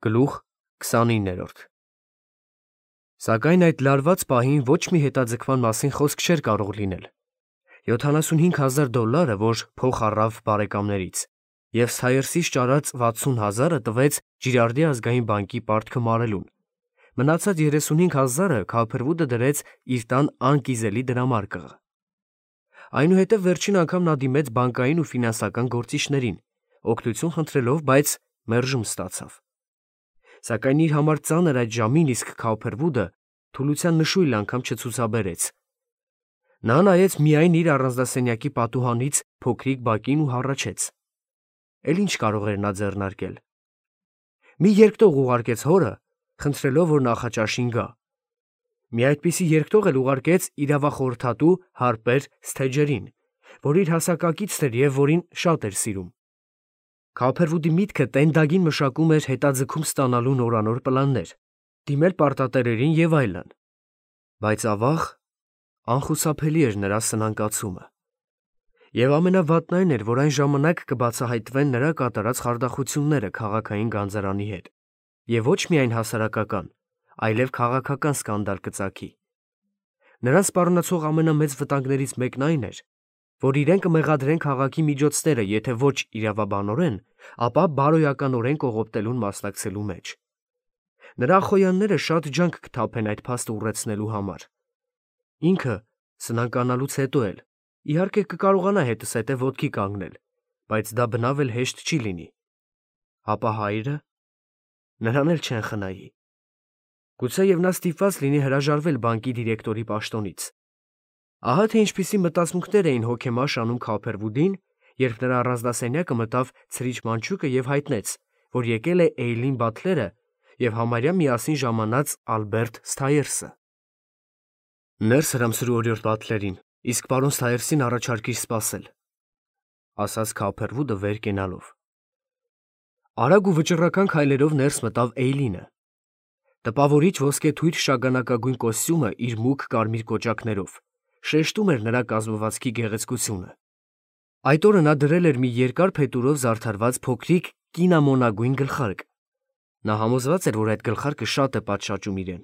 Գլուխ 29 Սակայն այդ լարված պահին ոչ մի հետաձգման մասին խոսք չէր կարող լինել։ $75,000, որ փող առավ բարեկամներից, և Սթայրսից ճարած 60,000-ը տվեց Ջիրարդի ազգային բանկի պարտքը մարելուն։ Մնացած 35,000-ը Քալփրվուդը դրեց իր տան անկիզելի դրամարկղը։ Այնուհետև վերջին անգամ նա դիմեց բանկային ու ֆինանսական գործիչներին, օգնություն խնդրելով, բայց մերժում ստացավ։ Սակայն իր համար ծանր այդ ժամին իսկ Քալփրվուդը թուլության նշույլ անգամ չցուցաբերեց։ Նա նայեց միայն իր առանձնասենյակի պատուհանից փոքրիկ բակին ու հառաչեց։ Էլ ինչ կարող էր նա ձեռնարկել։ Մի երկտող ուղարկեց հորը, խնդրելով, որ նախաճաշին գա։ Մի այդպիսի երկտող էլ ուղարկեց իրավախորհրդատու Հարպեր Սթեջերին, որ իր հասակակիցն էր և որին շատ էր սիրում։ Քալփրվուդի միտքը տենդագին մշակում էր հետաձգում ստանալու նորանոր պլաններ, դիմել պարտատերերին և այլն։ Բայց ավաղ, անխուսափելի էր նրա սնանկացումը։ Եվ ամենավատն այն էր, որ այն ժամանակ կբացահայտվեն նրա կատարած խարդախությունները քաղաքային գանձարանի հետ, և ոչ միայն հասարակական, այլև քաղաքական սկանդալ կծագի։ Նրան սպառնացող ամենամեծ վտանգներից մեկն այն էր, որ իրեն կմեղադրեն քաղաքի միջոցները, եթե ոչ իրավաբանորեն, ապա բարոյականորեն կողոպտելուն մասնակցելու մեջ։ Նրա ախոյանները շատ ջանք կթափեն այդ փաստը ուռեցնելու համար։ Ինքը, սնանկանալուց հետո էլ, իհարկե կկարողանա հետզհետե ոտքի կանգնել, բայց դա բնավ էլ հեշտ չի լինի։ Հապա հայրը… նրան էլ չեն խնայի։ Գուցեև նա ստիպված լինի հրաժարվել բանկի դիրեկտորի պաշտոնից։ Ահա թե ինչպիսի մտածմունքներ էին հոգեմաշ անում Քալփրվուդին, երբ նրա առանձնասենյակը մտավ ցրիչ մանչուկը և հայտնեց, որ եկել է Էյլին Բաթլերը և համարյա միասին ժամանած Ալբերտ Սթայրսը։ «Ներս հրամսրու օրիորդ Բաթլերին, իսկ պարոն Սթայրսին առաջարկիր սպասել», ասաց Քալփրվուդը վեր կենալով։ Արագ ու վճռական քայլերով ներս մտավ Էյլինը։ Տպավորիչ ոսկեթույր շագանակագույն կոստյումը իր մուգ կարմիր կոճակներով շեշտում էր նրա կազմվածքի գեղեցկությունը։ Այդ օրը նա դրել էր մի երկար փետուրով զարդարված փոքրիկ կինամոնագույն գլխարկ։ Նա համոզված էր, որ այդ գլխարկը շատ է պատշաճում իրեն։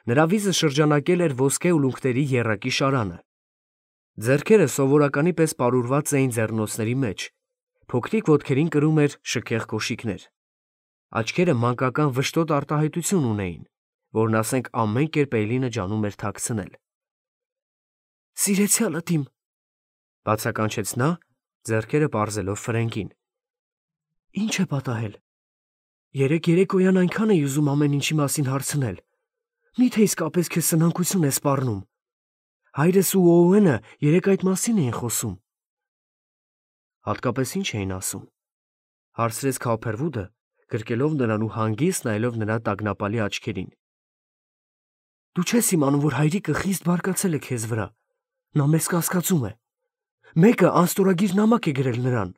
Նրա վիզը շրջանակել էր ոսկե ուլունքների եռակի շարանը։ Ձեռքերը սովորականի պես պարուրված էին ձեռնոցների մեջ, փոքրիկ ոտքերին կրում էր շքեղ կոշիկներ։ Աչքերը մանկական վշտոտ արտահայտություն ունեին, որն ասենք ամեն կերպ Էյլինը ջանում էր թաքցնել։ «Սիրեցյալդ իմ», բացականչեց նա, ձեռքերը պարզելով Ֆրենկին։ «Ի՞նչ է պատահել։ Երեկ երեկոյան այնքան էի ուզում ամեն ինչի մասին հարցնել։ Մի՞թե իսկապես քեզ սնանկություն է սպառնում։ Հայրս ու Օուենը երեկ այդ մասին էին խոսում»։ Հատկապես ի՞նչ էին ասում, հարցրեց Քալփրվուդը, գրկելով նրան ու հանգիստ նայելով նրա տագնապալի աչքերին։ «Դու չես իմանում, որ հայրիկը խիստ բարկացել է քեզ վրա։ Նա մեզ կասկածում է։ Մեկը անստորագիր նամակ է գրել նրան։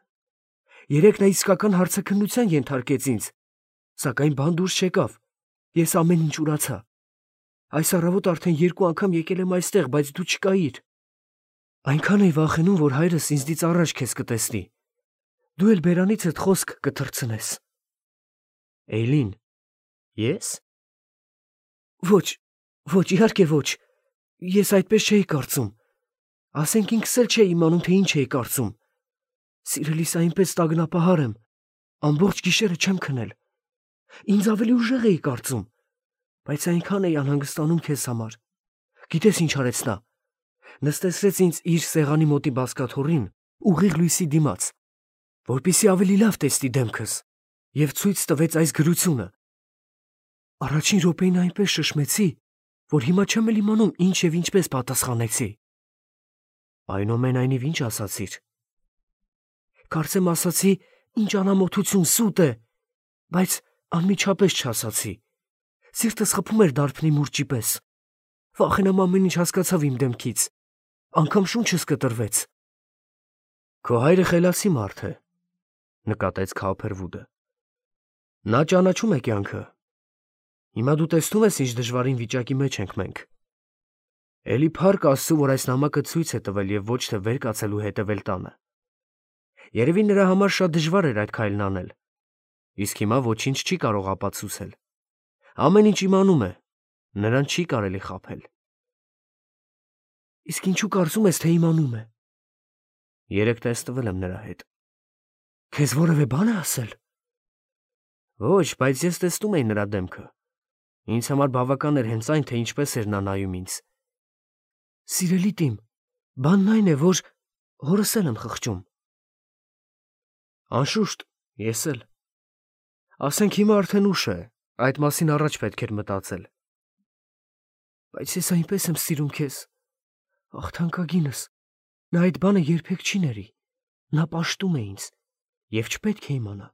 Երեկ նա իսկական հարցաքննության ենթարկեց ինձ, սակայն բան դուրս չեկավ։ Ես ամեն ինչ ուրացա։ Այս առավոտ արդեն 2 անգամ եկել եմ այստեղ, բայց դու չկայիր։ Այնքան էի վախենում, որ հայրս ինձնից առաջ քեզ կտեսնի։ Դու էլ բերանիցդ խոսք կթռցնես»։ Էյլին, ես… Ոչ, իհարկե ոչ։ Ես այդպես չէի կարծում։ Ասենք ինքս էլ չէի իմանում, թե ինչ էի կարծում։ Սիրելիս, այնպես տագնապահար եմ, ամբողջ գիշերը չեմ քնել։ Ինձ ավելի ուժեղ էի կարծում, բայց այնքան էի անհանգստանում քեզ համար։ Գիտես ինչ արեց նա։ Նստեցրեց ինձ իր սեղանի մոտի բազկաթոռին, ուղիղ լույսի դիմաց, որպեսզի ավելի լավ տեսնի դեմքս, և ցույց տվեց այս գրությունը։ Առաջին րոպեին այնպես շշմեցի, որ հիմա չեմ էլ իմանում ինչ և ինչպես պատասխանեցի։ Այնուամենայնիվ ինչ ասացիր։ Կարծեմ ասացի, ինչ անամոթություն, սուտ է, բայց անմիջապես չասացի։ Սիրտս խփում էր դարբնի մուրճի պես։ Վախենամ ամեն ինչ հասկացավ իմ դեմքից, անգամ շունչս կտրվեց։ Քո հայրը խելացի մարդ է, նկատեց Քալփրվուդը։ Նա ճանաչում է կյանքը։ Հիմա դու տեսնում ես, ինչ դժվարին վիճակի մեջ ենք մենք։ Էլի փառք Աստծու, որ այս նամակը ցույց է տվել և ոչ թե վեր կացել ու հետևել տանը։ Երևի նրա համար շատ դժվար էր այդ քայլն անել։ Իսկ հիմա ոչինչ չի կարող ապացուցել։ Ամեն ինչ իմանում է, նրան չի կարելի խաբել։ Իսկ ինչու կարծում ես, թե իմանում է։ Երեկ տեսնվել եմ նրա հետ։ Քեզ որևէ բան է ասել։ Ոչ, բայց ես տեսնում էի նրա դեմքը։ Ինձ համար բավական էր հենց այն, թե ինչպես էր նա նայում ինձ։ Սիրելի տիմ, բանն այն է, որ հորս էլ եմ խղճում։ Անշուշտ, ես էլ։ Ասենք հիմա արդեն ուշ է, այդ մասին առաջ պետք էր մտածել։ Բայց ես այնպես եմ սիրում քեզ։ Ախ, թանկագինս, նա այդ բանը երբեք չի ների։ Նա պաշտում է ինձ, և չպետք է իմանա։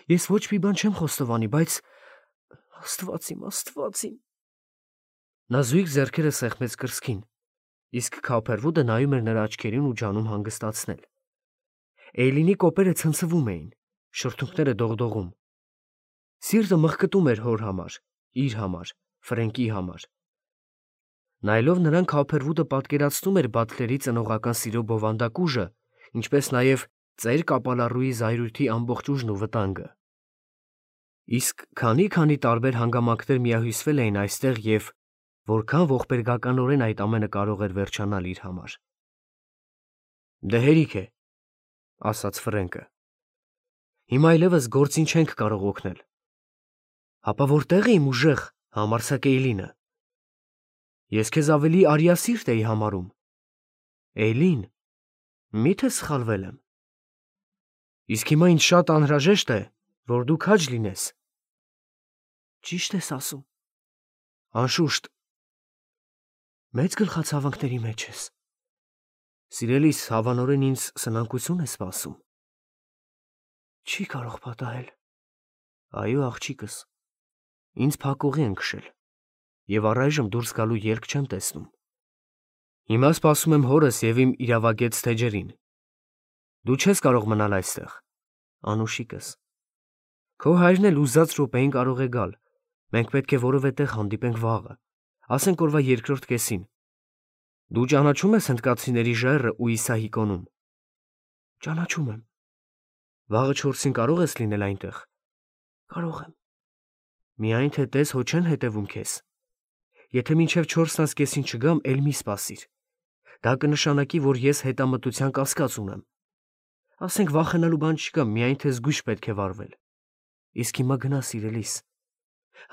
Ես ոչ մի բան չեմ խոստովանի, բայց Աստված իմ։ Նա զույգ ձեռքերը սեղմեց կրծքին, իսկ Քոփերվուդը նայում էր նրա աչքերին ու ջանում հանգստացնել։ Էյլինի կոպերը ցնցվում էին, շրթունքները դողդողում։ Սիրտը մխկտում էր հոր համար, իր համար, Ֆրենկի համար։ Նայելով նրան, Քոփերվուդը պատկերացնում էր Բաթլերի ծնողական սիրո բովանդակ ուժը, ինչպես նաև ծեր կապալառուի զայրույթի ամբողջ ուժն ու վտանգը։ Իսկ քանի տարբեր հանգամանքներ միահյուսվել էին այստեղ և որքան ողբերգականորեն այդ ամենը կարող էր վերջանալ իր համար։ Դե հերիք է, ասաց Ֆրենկը։ Հիմա այլևս գործին չենք կարող օգնել։ Հապա որտեղ է իմ ուժեղ, համարձակ Էյլինը։ Ես քեզ ավելի արիասիրտ էի համարում։ Էյլին, մի՞թե սխալվել եմ։ Իսկ հիմա ինձ շատ անհրաժեշտ է, որ դու քաջ լինես։ Ճիշտ ես ասում։ Անշուշտ։ Մեծ գլխացավանքների մեջ ես։ Սիրելիս, հավանորեն ինձ սնանկություն է սպասում։ Չի կարող պատահել։ Այո, աղջիկս, ինձ փակուղի են քշել, և առայժմ դուրս գալու ելք չեմ տեսնում։ Հիմա սպասում եմ հորս և իմ իրավագետ թեջերին։ Դու չես կարող մնալ այստեղ, անուշիկս։ Քո հայրն էլ ուզած րոպեին կարող է գալ։ Մենք պետք է որևէ տեղ հանդիպենք վաղը, ասենք օրվա երկրորդ կեսին։ Դու ճանաչում ես հնդկացիների ժայռը ու Իսահիկոնում։ Ճանաչում եմ։ Վաղը 4-ին կարող ես լինել այնտեղ։ Կարող եմ։ Միայն թե տես հո չեն հետևում քեզ։ Եթե մինչև 4:30-ին չգամ, էլ մի սպասիր։ Դա կնշանակի, որ ես հետամտության կասկած ունեմ։ Ասենք վախենալու բան չկա, միայն թե զգույշ պետք է վարվել։ Իսկ հիմա գնա, սիրելիս։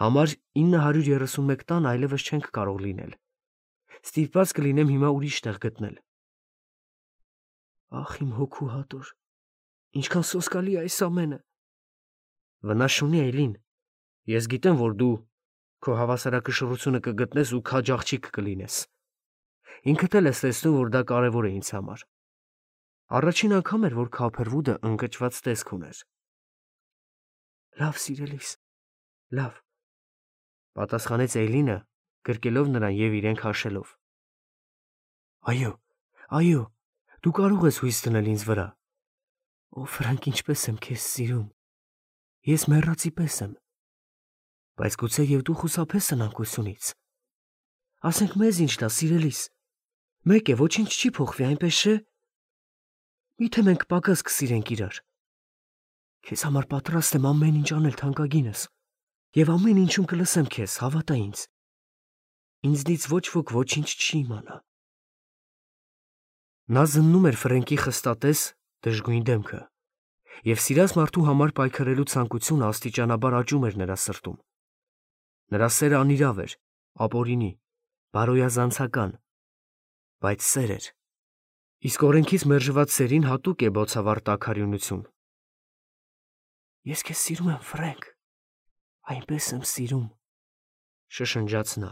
Համար 931 տան այլևս չենք կարող լինել։ Ստիպված կլինեմ հիմա ուրիշ տեղ գտնել։ Ախ, իմ հոգու հատոր, ինչքան սոսկալի է այս ամենը։ Վնաս չունի, Էյլին։ Ես գիտեմ, որ դու քո հավասարակշռությունը կգտնես ու քաջ աղջիկ կլինես։ Ինքդ էլ ես տեսնում, որ դա կարևոր է ինձ համար։ Առաջին անգամ էր, որ Քոփերվուդը ընկճված տեսք ուներ։ Լավ, սիրելիս, լավ, պատասխանեց Էյլինը, գրկելով նրան և իրեն քաշելով։ Այո, դու կարող ես հույս դնել ինձ վրա։ Ո Ֆրանկ, ինչպես եմ քեզ սիրում։ Ես մեռածի պես եմ։ Բայց գուցե և դու խուսափես սնանկությունից։ Ասենք մեզ ինչ տա, սիրելիս։ Մեկ է, ոչինչ չի փոխվի, այնպես չէ։ Միթե մենք պակաս կսիրենք իրար։ Քեզ համար պատրաստ եմ ամեն ինչ անել, թանկագինս, և ամեն ինչում կլսեմ քեզ, հավատա ինձ։ Ինձնից ոչ ոք ոչինչ չի իմանա։ Նա զննում էր Ֆրենկի խստատես, դժգույն դեմքը, և սիրած մարդու համար պայքարելու ցանկությունը աստիճանաբար աճում էր նրա սրտում։ Նրա սերը անիրավ էր, ապօրինի, բարոյազանցական, բայց սեր էր։ Իսկ օրենքից մերժված սերին հատուկ է բոցավառ տաքարյունություն։ Ես քեզ սիրում եմ, Ֆրենկ, այնպես եմ սիրում, շշնջաց նա։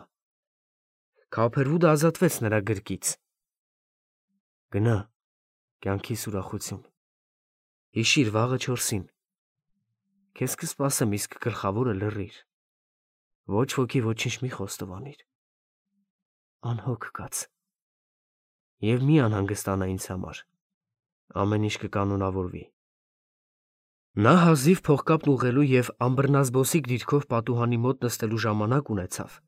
Քոփերվուդը ազատվեց նրա գրկից։ Գնա, կյանքիս ուրախություն։ Հիշիր վաղը 4-ին։ Քեզ կսպասեմ, իսկ գլխավորը լռիր։ Ոչ ոքի ոչինչ մի խոստովանիր։ Անհոգ կաց։ Եվ մի անհանգստանա ինձ համար։ Ամեն ինչ կկանոնավորվի։ Նա հազիվ փողկապն ուղղելու և ամբռնազբոսիկ դիրքով պատուհանի մոտ նստելու ժամանակ ունեցավ,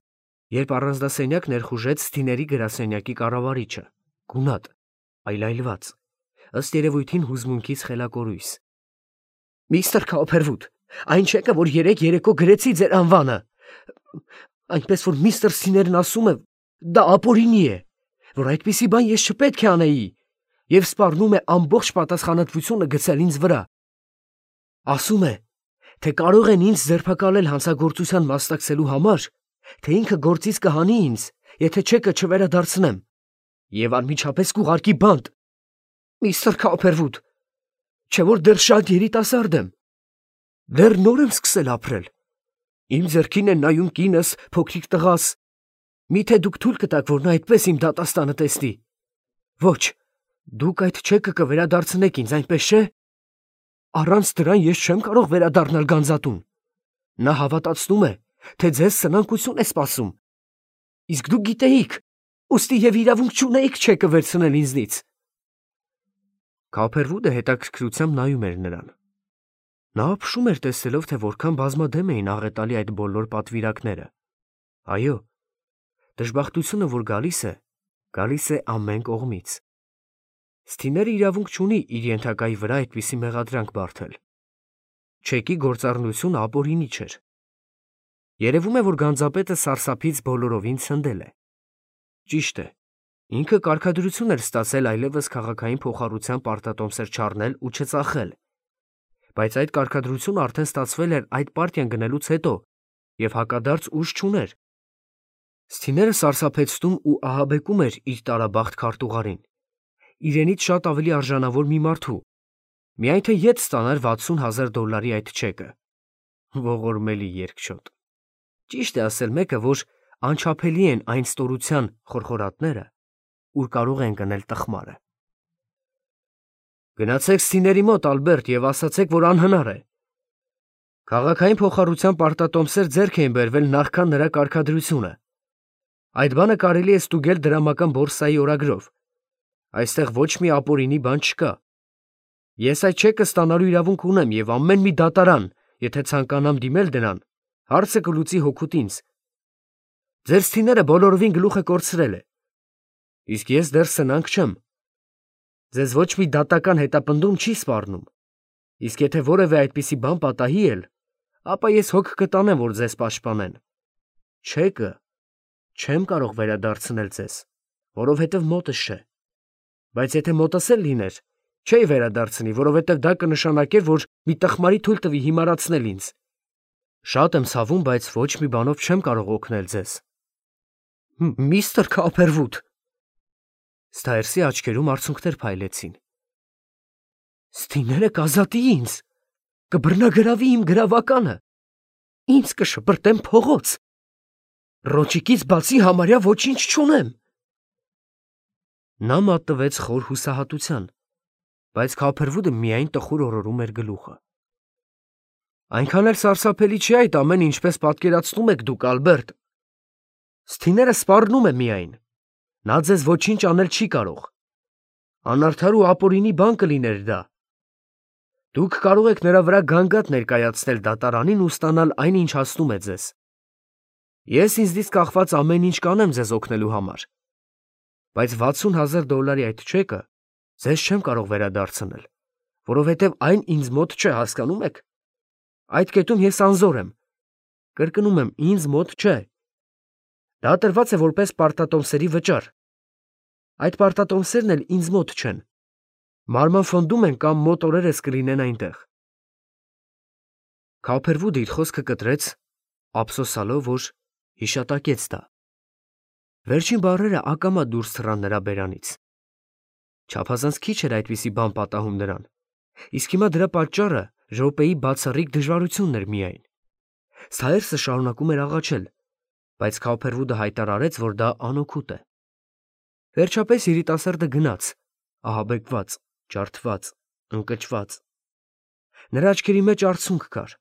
երբ առանձնասենյակ ներխուժեց Թիների գրասենյակի կառավարիչը, գունատ, այլայլված, ըստ երևույթին հուզմունքից խելակորույս։ Միստր Քոփերվուդ, Այն չեկը, որ երեկո գրեցի ձեր անվանը։ Այնպես որ միստր Սիներն ասում է, դա ապօրինի է, որ այդպիսի բան ես չպետք է անեի, եւ սպառնում է ամբողջ պատասխանատվությունը գցել ինձ վրա։ Ասում է, թե կարող են ինձ ձերբակալել հանցագործության մասնակցելու համար, թե ինքը գործից կհանի ինձ, եթե չեկը չվերադարձնեմ, եւ անմիջապես կուղարկի բանտ։ Միստր Քոփերվուդ, չէ որ դեռ շատ երիտասարդ եմ, դեռ նոր եմ սկսել ապրել։ Իմ ձեռքին է նայում կինս, փոքրիկ տղաս։ Միթե դուք թույլ կտաք, որ նա այդպես իմ դատաստանը տեսնի։ Ոչ, դուք այդ չեկը կվերադարձնեք ինձ, այնպես չէ։ Առանց դրան ես չեմ կարող վերադառնալ Գանձատուն։ Նա հավատացնում է, թե ձեզ սնանկություն է սպասում։ Իսկ դուք գիտեիք, ուստի եւ իրավունք չունեիք չեկը վերցնել ինձնից։ Քոփերվուդը հետաքրքրությամբ նայում էր նրան։ Նա ապշում էր տեսելով, թե որքան բազմադեմ էին աղետալի այդ բոլոր պատվիրակները։ Այո, դժբախտությունը, որ գալիս է ամեն կողմից։ Սթիները իրավունք չունի իր ենթակայի վրա այդպիսի մեղադրանք բարթել։ Չեկի գործառնությունը ապօրինի չէր։ Երևում է, որ Գանձապետը սարսափից բոլորովին ցնդել է։ Ճիշտ է, ինքը կարգադրություն էր ստացել այլևս քաղաքային փոխառության պարտատոմսեր չառնել ու չծախել։ Բայց այդ կարգադրությունը արդեն ստացվել էր այդ պարտիան գնելուց հետո եւ հակադարձ ուժ չուներ։ Սթիները սարսափեցնում ու ահաբեկում էր իր տարաբախտ քարտուղարին, իրենից շատ ավելի արժանավոր մի մարդու, միայն թե ետ ստանար $60,000 այդ չեկը։ Ողորմելի երկչոտ։ Ճիշտ է ասել մեկը, որ անչափելի են այն ստորության խորխորատները, ուր կարող են գնել տխմարը։ Գնացեք Սթիների մոտ, Ալբերտ, եւ ասացեք, որ անհնար է։ Քաղաքային փոխառության պարտատոմսեր ձեռք էին բերվել նախքան նրա կարգադրությունը։ Այդ բանը կարելի է ստուգել դրամական բորսայի օրագրով։ Այստեղ ոչ մի ապօրինի բան չկա։ Ես այդ չեկը ստանալու իրավունք ունեմ եւ ամեն մի դատարան, եթե ցանկանամ դիմել դրան, հարցը կլուծի հօգուտ ինձ։ Ձեր Սթիները բոլորովին գլուխը կորցրել է։ Իսկ ես դեռ սնանկ չեմ։ Ձեզ ոչ մի դատական հետապնդում չի սպառնում։ Իսկ եթե որևէ այդպիսի բան պատահի էլ, ապա ես հոգ կտանեմ, որ ձեզ պաշտպանեն։ Չեկը չեմ կարող վերադարձնել ձեզ, որովհետև մոտս չէ։ Բայց եթե մոտս էլ լիներ, չէի վերադարձնի, որովհետև դա կնշանակեր, որ մի տխմարի թույլ տվի հիմարացնել ինձ։ Շատ եմ ցավում, բայց ոչ մի բանով չեմ կարող օգնել ձեզ։ Միստր Քոփերվուդ։ Սթայրսի աչքերում արցունքներ փայլեցին։ Սթիները կազատի ինձ, կբռնագրավի իմ գրավականը, ինձ կշպրտեմ փողոց։ Ռոճիկից բացի համարյա ոչինչ չունեմ։ Նա մատնվեց խոր հուսահատության, բայց Քոփերվուդը միայն տխուր օրորում էր գլուխը։ Այնքան էլ սարսափելի չի այդ ամենը, ինչպես պատկերացնում եք դուք, Ալբերտ։ Սթիները սպառնում է միայն։ Նա ձեզ ոչինչ անել չի կարող։ Անարդար ու ապօրինի բան կլիներ դա։ Դուք կարող եք նրա վրա գանգատ ներկայացնել դատարանին ու ստանալ այն, ինչ հասնում է ձեզ։ Ես ինձնից կախված ամեն ինչ կանեմ ձեզ օգնելու համար։ Բայց $60,000 այդ չեկը ձեզ չեմ կարող վերադարձնել, որովհետև այն ինձ մոտ չէ, հասկանում եք։ Այդ կետում ես անզոր եմ։ Կրկնում եմ, ինձ մոտ չէ։ Դա տրված է որպես պարտատոմսերի վճար։ Այդ պարտատոմսերն էլ ինձ մոտ չեն։ Մարման ֆոնդում են կամ մոտ օրերս կլինեն այնտեղ։ Քոփերվուդը իր խոսքը կտրեց, ափսոսալով, որ հիշատակեց դա։ Վերջին բառերը ակամա դուրս թռան նրա բերանից։ Չափազանց քիչ էր այդպիսի բան պատահում նրան, իսկ հիմա դրա պատճառը րոպեի բացառիկ դժվարությունն էր միայն։ Սթայրսը շարունակում էր աղաչել, բայց Քոփերվուդը հայտարարեց, որ դա անօգուտ է։ Վերջապես երիտասարդը գնաց, ահաբեկված, ջարդված, ընկճված։ Նրա աչքերի մեջ արցունք կար։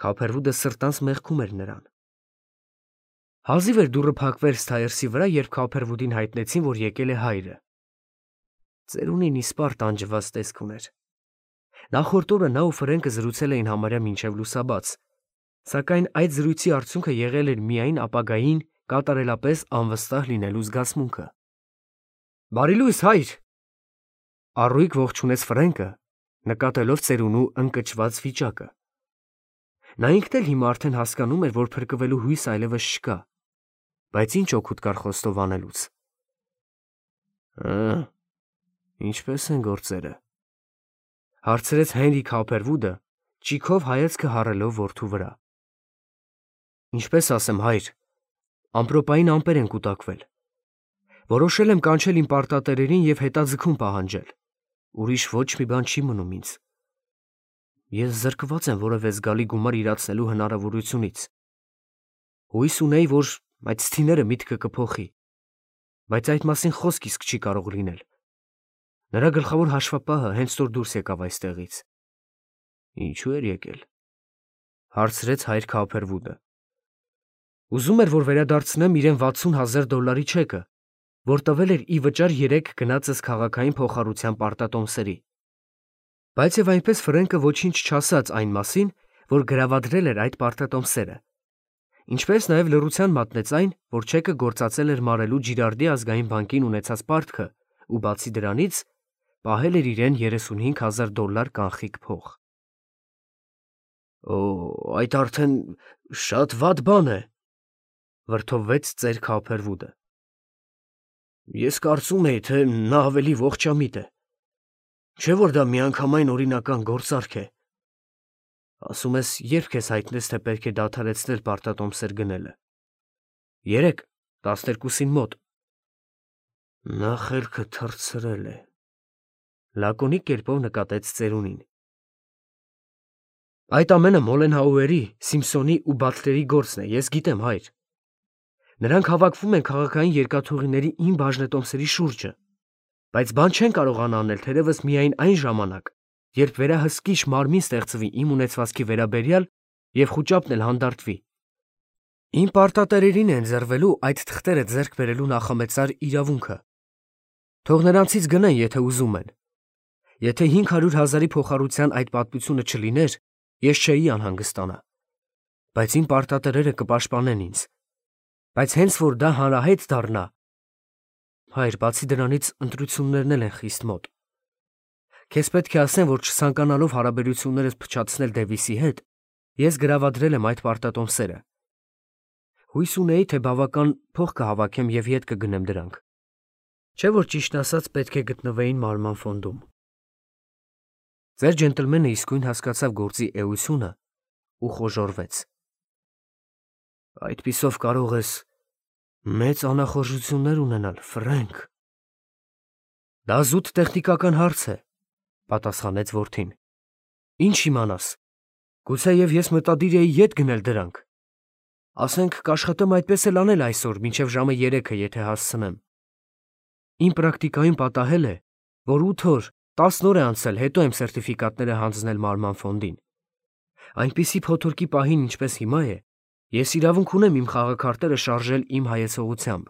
Քոփերվուդը սրտանց մեղքում էր նրան։ Հազիվ էր դուռը փակվեր Սթայրսի վրա, երբ Քոփերվուդին հայտնեցին, որ եկել է հայրը։ Ծերունին իսպառ տանջված տեսք ուներ։ Նախորդ օրը նա ու Ֆրենկը զրուցել էին համարյա մինչև լուսաբաց, սակայն այդ զրույցի արդյունքը եղել էր միայն ապագային կատարելապես անվստահ լինելու զգացմունքը։ Բարի լույս, հայր։ Առույգ ողջունեց Ֆրենկը, նկատելով ծերունու ընկճված վիճակը։ Նա ինքն էլ հիմա արդեն հասկանում էր, որ փրկվելու հույս այլևս չկա, բայց ինչ օգուտ կար խոստով անելուց։ Ինչպե՞ս են գործերը, հարցրեց Հենրի Քոփերվուդը, ճիգով հայացքը հառելով որդու վրա։ Ինչպես ասեմ, հայր, ամպրոպային ամպեր են կուտակվել։ Որոշել եմ կանչել իմ պարտատերերին և հետաձգում պահանջել։ Ուրիշ ոչ մի բան չի մնում ինձ։ Ես զրկված եմ որևէ զգալի գումար իրացնելու հնարավորությունից։ Հույս ունեի, որ այդ ցցիները միտքը կփոխի, բայց այդ մասին խոսք իսկ չի կարող լինել։ Նրա գլխավոր հաշվապահը հենց որ դուրս եկավ այստեղից։ Ինչու էր եկել, հարցրեց հայր Քոփերվուդը։ Ուզում էր, որ վերադարձնեմ իրեն $60,000 չեկը, որ տվել էր ի վճար 3 գնացս քաղաքային փոխառության պարտատոմսերի։ Բայց եւ այնպես Ֆրենկը ոչինչ չասաց այն մասին, որ գրավադրել էր այդ պարտատոմսերը։ Ինչպես նաեւ լռության մատնեց այն, որ չեկը գործածել էր մարելու Ջիրարդի ազգային բանկին ունեցած պարտքը ու բացի դրանից պահել էր իրեն $35,000 կանխիկ փող։ Այդ արդեն շատ վատ բան է, վրդովվեց ծեր Քոփերվուդը։ Ես կարծում էի, թե նա ավելի ողջամիտ է։ Չէ՞ որ դա միանգամայն օրինական գործարք է։ Ասում ես, երբ քեզ հայտնեց, թե պետք է դադարեցնել պարտատոմսեր գնելը։ 12-ին մոտ։ Նա խելքը թռցրել է, լակոնիկ կերպով նկատեց ծերունին։ Այդ ամենը Մոլենհաուերի, Սիմփսոնի ու Բաթլերի գործն է, ես գիտեմ, հայր։ Նրանք հավաքվում են քաղաքային երկաթուղիների իմ բաժնետոմսերի շուրջը, բայց բան չեն կարողանա անել թերևս միայն այն ժամանակ, երբ վերահսկիչ մարմին ստեղծվի իմ ունեցվածքի վերաբերյալ և խուճապն էլ հանդարտվի։ Իմ պարտատերերին է ընձեռվելու այդ թղթերը ձեռք բերելու նախամեծար իրավունքը։ Թող նրանցից գնեն, եթե ուզում են։ Եթե 500,000-ի փոխառության այդ պատմությունը չլիներ, ես չէի անհանգստանա, բայց իմ պարտատերերը կպաշտպանեն ինձ։ Բայց հենց որ դա հանրահայտ դառնա, հայր, բացի դրանից ընտրություններն էլ են խիստ մոտ։ Քեզ պետք է ասեմ, որ չցանկանալով հարաբերություններս փչացնել Դեվիսի հետ, ես գրավադրել եմ այդ պարտատոմսերը։ Հույս ունեի, թե բավական փող կհավաքեմ և ետ կգնեմ դրանք։ Չէ՞ որ ճիշտն ասած պետք է գտնվեին մարման ֆոնդում։ Ձեր ջենտլմենը իսկույն հասկացավ գործի էությունը ու խոժոռվեց։ Այդպիսով կարող ես մեծ անախորժություններ ունենալ, Ֆրենկ։ Դա զուտ տեխնիկական հարց է, պատասխանեց որդին։ Ինչ իմանաս, գուցեև ես մտադիր էի ետ գնել դրանք։ Ասենք կաշխատեմ այդպես էլ անել այսօր, մինչև ժամը 3-ը, եթե հասցնեմ։ Իմ պրակտիկայում պատահել է, որ 8 օր, 10 օր է անցել, հետո եմ սերտիֆիկատները հանձնել մարման ֆոնդին։ Այնպիսի փոթորկի պահին, ինչպես հիմա է, ես իրավունք ունեմ իմ խաղաքարտերը շարժել իմ հայեցողությամբ։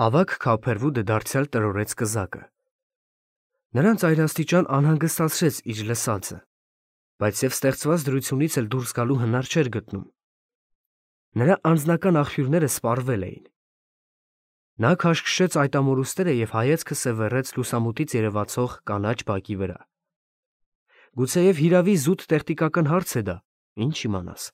Ավագ Քոփերվուդը դարձյալ տրորեց կզակը։ Նրան ծայրաստիճան անհանգստացրեց իր լսածը, բայց և ստեղծված դրությունից էլ դուրս գալու հնար չէր գտնում։ Նրա անձնական աղբյուրները սպառվել էին։ Նա քաշքշեց այդ ամորուստերը և հայացքը սևեռեց լուսամուտից երևացող կանաչ բակի վրա։ Գուցեև հիրավի զուտ տեխնիկական հարց է դա, ինչ իմանաս։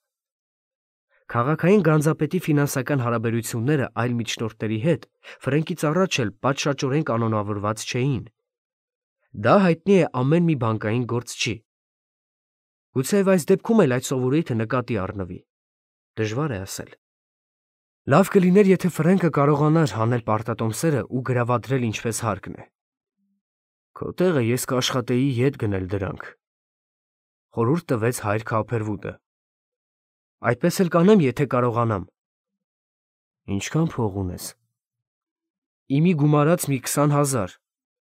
Քաղաքային գանձապետի ֆինանսական հարաբերությունները այլ միջնորդների հետ Ֆրենկից առաջ էլ պատշաճորեն կանոնավորված չէին։ Դա հայտնի է ամեն մի բանկային գործ չի։ Գուցեև այս դեպքում էլ այդ սովորույթը նկատի առնվի։ Դժվար է ասել։ Լավ կլիներ, եթե Ֆրենկը կարողանար հանել պարտատոմսերը ու գրավադրել ինչպես հարկն է։ Քո տեղը ես կաշխատեի ետ գնել դրանք, խորհուրդ տվեց հայր Քոփերվուդը։ Այդպես էլ կանեմ, եթե կարողանամ։ Ինչքան փող ունես։ Իմի գումարած մի 20,000։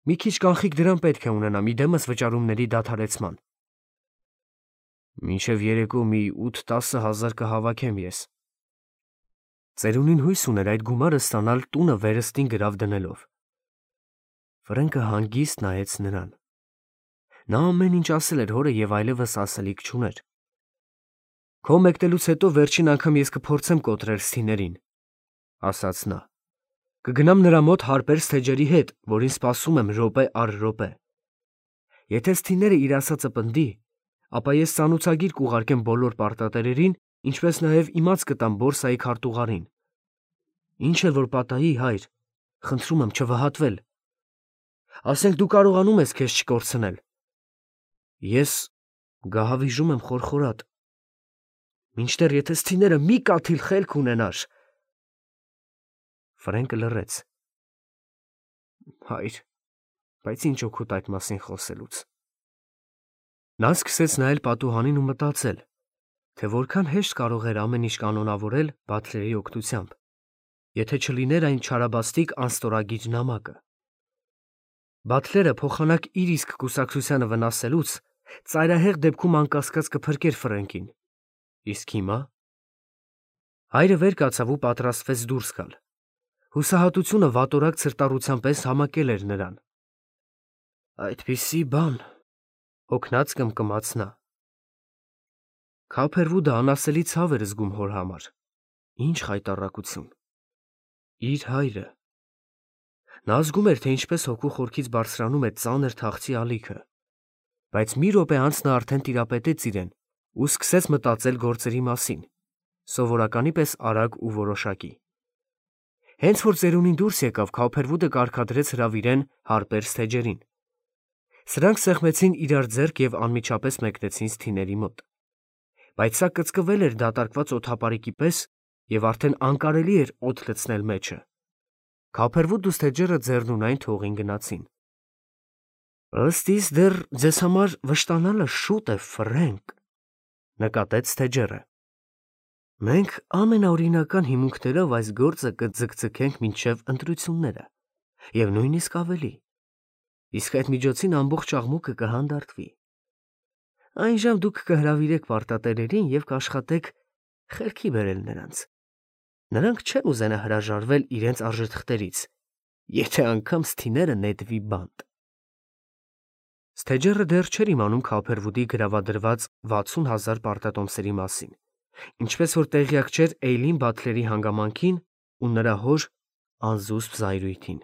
Մի քիչ կանխիկ դրամ պետք է ունենամ իդեմս վճարումների դադարեցման։ Մինչև երեկո մի 8-10,000 կհավաքեմ ես։ Ծերունին հույս ուներ այդ գումարը ստանալ տունը վերստին գրավ դնելով։ Ֆրենկը հանգիստ նայեց նրան։ Նա ամեն ինչ ասել էր հորը և այլևս ասելիք չուներ։ Քո մեկնելուց հետո վերջին անգամ ես կփորձեմ կոտրել սթիներին, ասաց նա։ Կգնամ նրա մոտ հարբեր սթեջերի հետ, որին սպասում եմ րոպե առ րոպե։ Եթե սթիները իր ասածը պնդի, ապա ես ծանուցագիր կուղարկեմ բոլոր պարտատերերին, ինչպես նաև իմաց կտամ բորսայի քարտուղարին։ Ինչ էլ որ պատահի, հայր, խնդրում եմ չվհատվել։ Ասենք դու կարողանում ես քեզ չկորցնել։ Ես գահավիժում եմ խորխորատ։ Մինչդեռ եթե սթիները մի կաթիլ խելք ունենար… Ֆրենկը լռեց։ Հայր, բայց ինչ օգուտ այդ մասին խոսելուց։ Նա սկսեց նայել պատուհանին ու մտածել, թե որքան հեշտ կարող էր ամեն ինչ կանոնավորել Բաթլերի օգնությամբ, եթե չլիներ այն չարաբաստիկ անստորագիր նամակը։ Բաթլերը փոխանակ իր իսկ կուսակցությանը վնասելուց ծայրահեղ դեպքում անկասկած կփրկեր Ֆրենկին։ Իսկ հիմա… Հայրը վեր կացավ ու պատրաստվեց դուրս գալ։ Հուսահատությունը վատորակ ցրտառության պես համակել էր նրան։ Այդպիսի բան… Հոգնած կմկմաց նա։ Քափերվուդը անասելի ցավ էր զգում հոր համար։ Ինչ խայտառակություն… Իր հայրը… Նա զգում էր, թե ինչպես հոգու խորքից բարձրանում է ծանր թախծի ալիքը, բայց մի րոպե անց նա արդեն տիրապետեց իրեն ու սկսեց մտածել գործերի մասին, սովորականի պես արագ ու որոշակի։ Հենց որ ծերունին դուրս եկավ, Քափերվուդը կարգադրեց հրավիրեն Հարպեր Սթեջերին։ Սրանք սեղմեցին իրար ձեռք և անմիջապես մեկնեցին սթիների մոտ։ Բայց սա կծկվել էր դատարկված օդապարիկի պես և արդեն անկարելի էր օդ լցնել մեջը։ Քափերվուդն ու Սթեջերը ձեռնունայն թողին գնացին։ Ըստ իս դեռ ձեզ համար վշտանալը շուտ է, Ֆրենկ, նկատեց Սթեջերը։ Մենք ամենաօրինական հիմունքներով այս գործը կձգձգենք մինչև ընտրությունները և նույնիսկ ավելի, իսկ այդ միջոցին ամբողջ աղմուկը կհանդարտվի։ Այնժամ դուք կհրավիրեք պարտատերերին և կաշխատեք խելքի բերել նրանց։ Նրանք չեն ուզենա հրաժարվել իրենց արժեթղթերից, եթե անգամ սթիները նետվի բանտ։ Սթեջերը դեռ չէր իմանում Քափերվուդի գրավադրված 60,000 պարտատոմսերի մասին, ինչպես որ տեղյակ չէր Էյլին Բաթլերի հանգամանքին ու նրա հոր անզուսպ զայրույթին։